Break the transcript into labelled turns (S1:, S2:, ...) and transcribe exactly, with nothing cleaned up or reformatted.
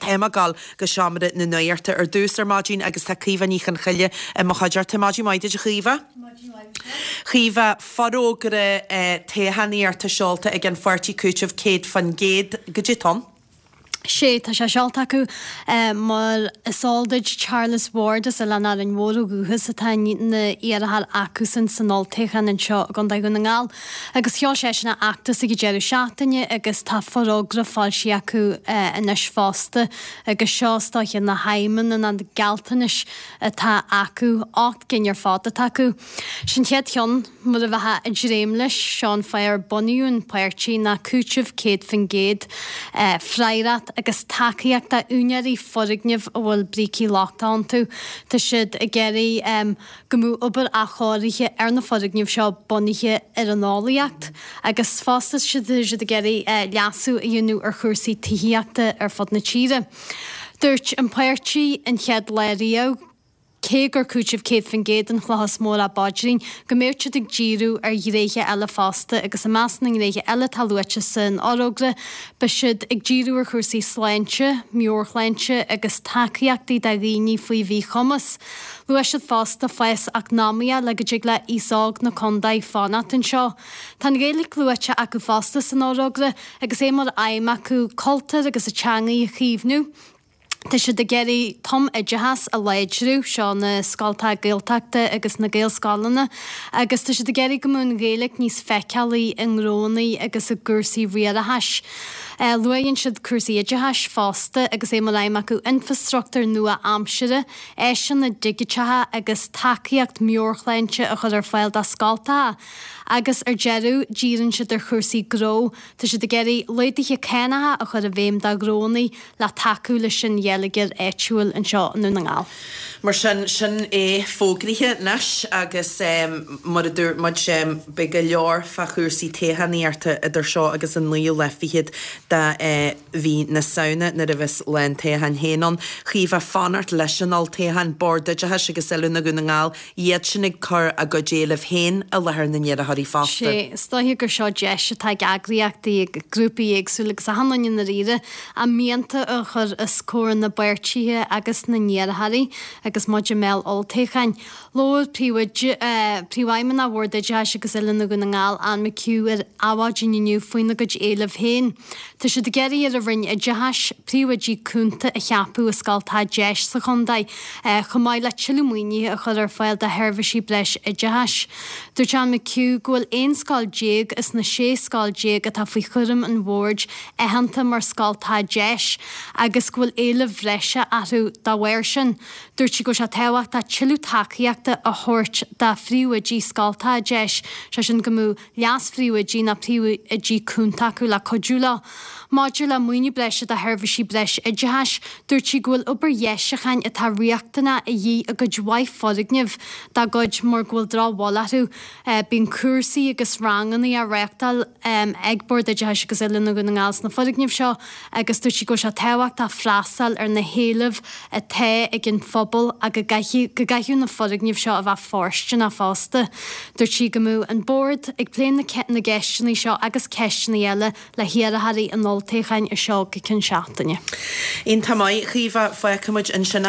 S1: Tá mé ag gabháil go seomra na nuachta ar dtús ar maidin agus tá Caoimhe Ní Chonchoille i mo chuideachta. Maidin mhaith duit a Chaoimhe. Caoimhe, forógra toghchánaíochta seolta ag an pháirtí Cúiteamh céad faoin gcéad. Goidé atá ann?
S2: Sé, tá sé seolta acu mar is eol duit Charles Ward as Oileán Árainn Mhór ó dhúchas atá ina iarrthóir acusan san olltoghchán anseo i gContae Dhún na nGall agus sheol seisean a fheachtas ag an deireadh seachtaine agus tá forógra foilsithe acu anois fosta agus seo is dóiche na haidhmeanna na gealltanais atá acu, ocht gcinn ar fad atá acu. Sin chéad cheann, mar a bheifeá ag dréim leis, seo an fáth ar bunaíodh an páirtí ná cúiteamh céad faoin gcéad, freagracht agus tacaíocht d'úinéirí foirgneamh a bhfuil brící lochtacha iontu. Tá siad ag iarraidh go mbeadh obair athchóirithe ar na foirgnimh seo bunaithe ar an eolaíocht agus fosta tá siad ag iarraidh leasú a dhéanamh ar chúrsaí tithíochta ar fud na tíre. Dúirt an páirtí an chéad lá riamh, cé gur cúiteamh céad faoin gcéad an chloch is mó dá bpaidrín, go mbeadh siad ag díriú ar ghnéithe eile fosta agus i measc na ngnéithe eile atá luaite san fhorógra, beidh siad ag díriú ar chúrsaí sláinte, meabhairshláinte agus tacaíochtaí do dhaoine faoi mhíchumas. Luaigh siad fosta fás eacnamaíoch le go dtig le aos óg na contae fanacht anseo. Tá an Ghaeilge luaite acu fosta san fhorógra agus é mar aidhm acu cultúr agus an teangaidh a chaomhnú. Tá siad ag iarraidh tumoideachas a láidriú, seo na scoltacha Gaeltachta agus na Gaelscoileanna, agus tá siad ag iarraidh go mbeadh an Ghaeilge níos feiceálaí i ngnóanna agus i gcúrsaí riarachais. Luaigheann siad cúrsaí oideachais fosta agus é mar aidhm acu infreastruchtúr nua-aimsire, áiseanna digiteacha agus tacaíocht meabhairshláinte a chur ar fáil do scoltacha. Agus ar deireadh, díríonn siad ar chúrsaí gnó, tá siad ag iarraidh laghduithe cánacha a chur i bhfeidhm do ghnóanna le tacú leis an gheilleagar áitiúil anseo i nDún na nGall.
S1: Mar sin, sin é fógraithe anois agus mar a dúirt muid, beidh go leor fá chúrsaí toghchánaíochta idir seo agus an naoú lá fichead de mhí na Samhna nuair a bheas lá an toghcháin féin ann. Chaoimhe, fanacht leis an olltoghchán, Bord Oideachais agus Oiliúna Dhún na nGall, iad sin ag cur a gcuid éileamh féin i láthair na n-iarrthóirí fosta.
S2: Sé, is dóiche gur seo deis atá ag eagraíochtaí, ag grúpaí éagsúla agus achan duine i ndáiríre, a mianta a chur os comhair na bpáirtithe agus na n-iarrthóirí agus muid i mbéal olltoghcháin. Labhair Príomhoide, Príomhfheidhmeannach Bhord Oideachais agus Oiliúna Dhún na nGall, Anne McHugh ar Adhmhaidin inniu faoina gcuid éileamh féin. Tá siad ag iarraidh ar an Roinn Oideachais príomhoidí cúnta a cheapadh i scoltacha deis sa chontae, chomh maith le tuilleadh maoinithe a chur ar fáil do sheirbhísí breis oideachais. Dúirt Anne McHugh go bhfuil aon scoil déag as na sé scoil déag atá faoi chúram an bhoird aitheanta mar scoltacha deis agus go bhfuil éilimh bhreise orthu dá bharr sin. Dúirt sí go bhfuil sé tábhachtach tuilleadh tacaíochta a thabhairt do phríomhoidí scoltacha deis, sé sin go mbeadh leas-phríomhoidí nó príomhoidí cúnta acu le cuidiú leo. Maidir le maoiniú breise do sheirbhísí breis oideachais, dúirt sí go bhfuil obair dheisiúcháin atá riachtanach a dhíth i gcuid mhaith foirgneamh dá gcuid mar go bhfuil drochbhail orthu. Bíonn cúrsaí agus ranganna á reáchtáil ag Bord Oideachais agus Oiliúna Dhún na nGall sna foirgnimh seo agus dúirt sí go bhfuil sé tábhachtach freastal ar na héilimh atá ag an phobal ach go gcaithfidh go gcaithfidh na foirgnimh seo a bheith fóirsteanach fosta. Dúirt sí go mbeadh an Bord ag plé na na gceisteanna seo agus ceisteanna eile le hiarrthóirí an olltoghcháin as seo go ceann seachtaine.
S1: Iontach maith, Caoimhe, fágfaidh muid ansin.